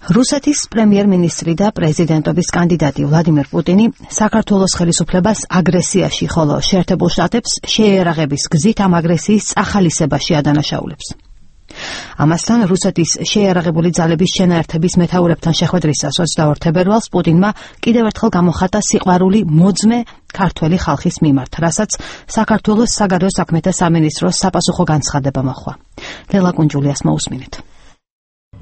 რუსეთის პრემიერ-მინისტრი და პრეზიდენტობის კანდიდატი ვლადიმერ პუტინი საქართველოს ხელისუფლებას აგრესიაში, ხოლო შეერთებულ შტატებს შეიარაღების გზით ამ აგრესიის წახალისებაში ადანაშაულებს. ამასთან რუსეთის შეიარაღებული ძალების შენაერთების მეთაურებთან შეხვედრისას 22 თებერვალს პუტინმა კიდევ ერთხელ გამოხატა სიყვარული მოძმე ქართველი ხალხის მიმართ, რასაც საქართველოს საგარეო საქმეთა სამინისტროს საპასუხო განცხადება მოჰყვა. ლელა კუნჯულიას მოусმინეთ.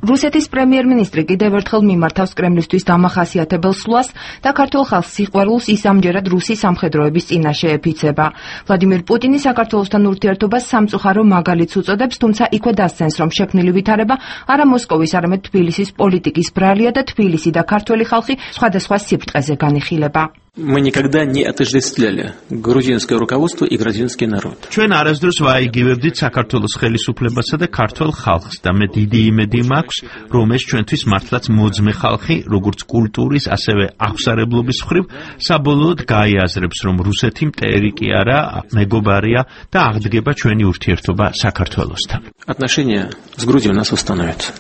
რუსეთის პრემიერ-მინისტრი კიდევ ერთხელ მიმართავს კრემლისთვის დამახასიათებელ სვლას და ქართულ ხალხს სიყვარულს ის ამჯერად რუსი სამხედროების წინაშე ეფიცება. ვლადიმერ პუტინი საქართველოსთან ურთიერთობას სამწუხარო მაგალითს უწოდებს, თუმცა იქვე დასცენს, რომ შექმნილი ვითარება არა მოსკოვის, არამედ თბილისის პოლიტიკის ბრალია და თბილისი და ქართველი ხალხი სხვადასხვა სიფრტყეზე განიხილება. Мы никогда не отождествляли грузинское руководство и грузинский народ. ჩვენ არასდროს ვაიგივებდით საქართველოს ხელისუფლებასა და ქართველ ხალხს და მე დიდი იმედი მაქვს, რომ ეს ჩვენთვის მართლაც მოძმე ხალხი, როგორც культуრის, ასევე აღსარებლობის მხრივ, საბოლოოდ გაიაზრებს, რომ რუსეთი მტერი კი არა, მეგობარია და აღდგება ჩვენი ურთიერთობა საქართველოსთან. Отношения с Грузией у нас установятся.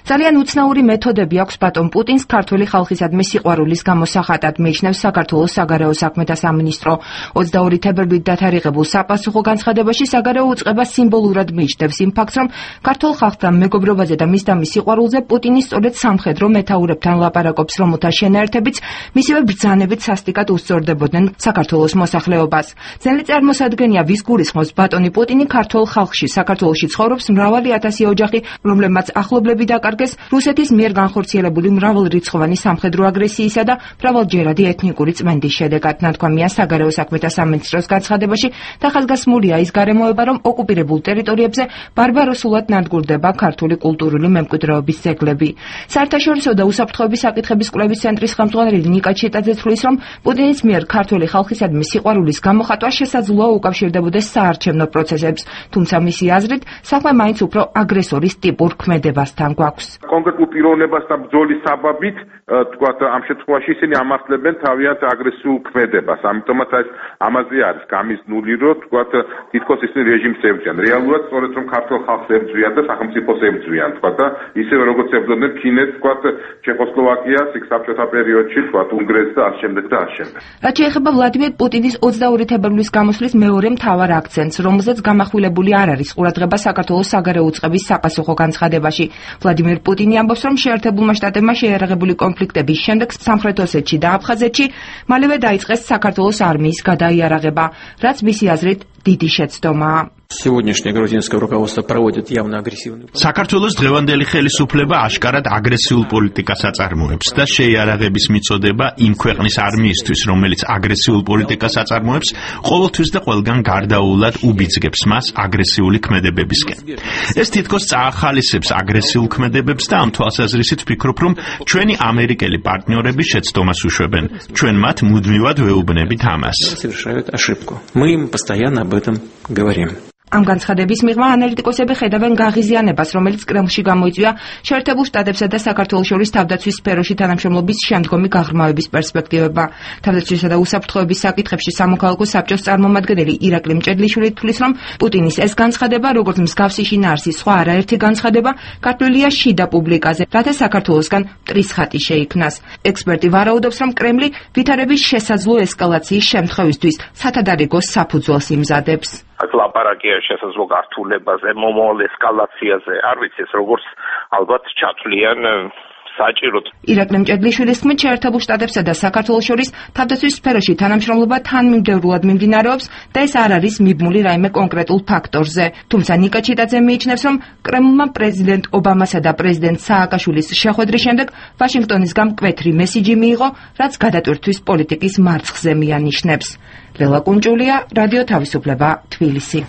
ძალიან უცნაური მეთოდები აქვს ბატონ პუტინს ქართული ხალხისადმი სიყვარულის გამოსახატად, მიიჩნევს საქართველოს საგარეო საქმეთა სამინისტრო. 22 თებერვლით დათარიღებულ საპასუხო განცხადებაში საგარეო უწყება სიმბოლურად მიიჩნევს იმ ფაქტს, რომ ქართულ ხალხთან მეგობრობაზე და მისდამის სიყვარულზე პუტინი სწორედ სამხედრო მეთაურებთან ლაპარაკობს, რომელთა შენაერთებიც მისივე ბრძანებით სასტიკად უსწორდებოდნენ საქართველოს მოსახლეობას. ძნელი წარმოსადგენია, ვის გულისხმობს ბატონი პუტინი ქართულ ხალხში. საქართველოში ცხოვრობს მრავალი ათასი ოჯახი, რომლებმაც ახლობლები დაკარგეს რუსეთის მიერ განხორციელებული მრავალრიცხოვანი სამხედრო აგრესიისა და მრავალჯერადი ეთნიკური წმენდის შედეგად. ნათქვამია საგარეო საქმეთა სამინისტროს განცხადებაში და ხაზგასმულია ის გარემოება, რომ ოკუპირებულ ტერიტორიებზე ბარბაროსულად ნადგურდება ქართული კულტურული მემკვიდრეობის ძეგლები. საერთაშორისო და უსაფრთხოების საკითხების კვლევის ცენტრის ხელმძღვანელი ნიკა ჩიტაძე თვლის, რომ პუტინის მიერ ქართული ხალხისადმი სიყვარულის გამოხატვა შესაძლოა უკავშირდებოდეს საარჩევნო პროცესებს, თუმცა მისი აზრით საქმე მაინც უფრო აგრესორის ტიპურ ქმედებასთან გვაქვს. კონკრეტულ პიროვნებასთან ბრძოლის საბაბით, თქვათ, ამ შემთხვევაში ისინი ამართლებენ თავიანთ აგრესიულ ქმედებას. ამიტომაც ეს ამაზე არის გამიზნული, რომ თქვათ, თითქოს ისინი რეჟიმს ებრძვიან. რეალურად სწორედ რომ ქართულ ხალხს ებრძვიან და სახელმწიფოს ებრძვიან, თქვათ, და ისევე როგორც ებრძოდნენ ფინეთს, თქვათ, ჩეხოსლოვაკიას, იქ საბჭოთა პერიოდში, თქვათ, უნგრეთს და ამ შემდეგ და ამ შემდეგ. რაც შეეხება ვლადიმერ პუტინის 22 თებერვლის გამოსვლის მეორე მთავარ აქცენტს, რომელზეც გამახვილებული არ არის ყურადღება საქართველოს საგარეო უწყების საპასუხო განცხადებაში. ვლადიმერ პუტინი ამბობს, რომ შეერთებულმა შტატებმა შეიარაღებული კონფლიქტების შემდეგ სამხრეთ ოსეთში და აფხაზეთში მალევე დაიწყეს საქართველოს არმიის გადაიარაღება, რაც მისი აზრით დიდი შეცდომაა. Сегодняшнее грузинское руководство проводит явно агрессивную политику. საქართველოს დღევანდელი ხელისუფლება აშკარად აგრესიულ პოლიტიკას აწარმოებს და შეიარაღების მიწოდება იმ ქვეყნის არმიისთვის, რომელიც აგრესიულ პოლიტიკას აწარმოებს, ყოველთვის და ყველგან გარდაულად უბიძგებს მას აგრესიული ქმედებებისკენ. ეს თითქოს წაახალისებს აგრესიულ ქმედებებს და ამ თვალსაზრისით ვფიქრობ, რომ ჩვენი ამერიკელი პარტნიორები შეცდომას უშვებენ. ჩვენ მათ მუდმივად ვეუბნებით ამას. Совершают ошибку. Мы им постоянно об этом говорим. ამ განცხადების მიღმა ანალიტიკოსები ხედავენ გაღიზიანებას, რომელიც კრემლში გამოიწვია შეერთებულ შტატებსა და საქართველოს შორის თავდაცვის სფეროში თანამშრომლობის შემდგომი გაღრმავების პერსპექტივება. თავდაცვისა და უსაფრთხოების საკითხებში სამოქალაქო საბჭოს წარმომადგენელი ირაკლი მჭედლიშვილი თვლის, რომ პუტინის ეს განცხადება, როგორც მსგავსი შინაარსის სხვა არაერთი განცხადება, გათვლილია შიდა პუბლიკაზე, რათა საქართველოსგან მტრის ხატი შეიქმნას. ექსპერტი ვარაუდობს, რომ კრემლი ვითარების შესაძლო ესკალაციის შემთხვევისთვის სათადარიგოს საფუძველს იმზადებს. ლაპარაკია შესაძლო გართულებაზე, მომავალ ესკალაციაზე, არ ვიცი ეს როგორც ალბათ ჩათვლიან საჭიროდ. ირაკლი მჭედლიშვილის თქმით, შეერთებულ შტატებსა და საქართველოს შორის თავდაცვის სფეროში თანამშრომლობა თანმიმდევრულად მიმდინარეობს და ეს არ არის მიბმული რაიმე კონკრეტულ ფაქტორზე. თუმცა ნიკა ჩიტაძე მიიჩნევს, რომ კრემლმა პრეზიდენტ ობამასა და პრეზიდენტ სააკაშვილის შეხვედრის შემდეგ ვაშინგტონისგან მკვეთრი მესიჯი მიიღო, რაც გადატვირთვის პოლიტიკის მარცხზე მიანიშნებს. ლელა კუნჯულია, რადიო თავისუფლება, თბილისი.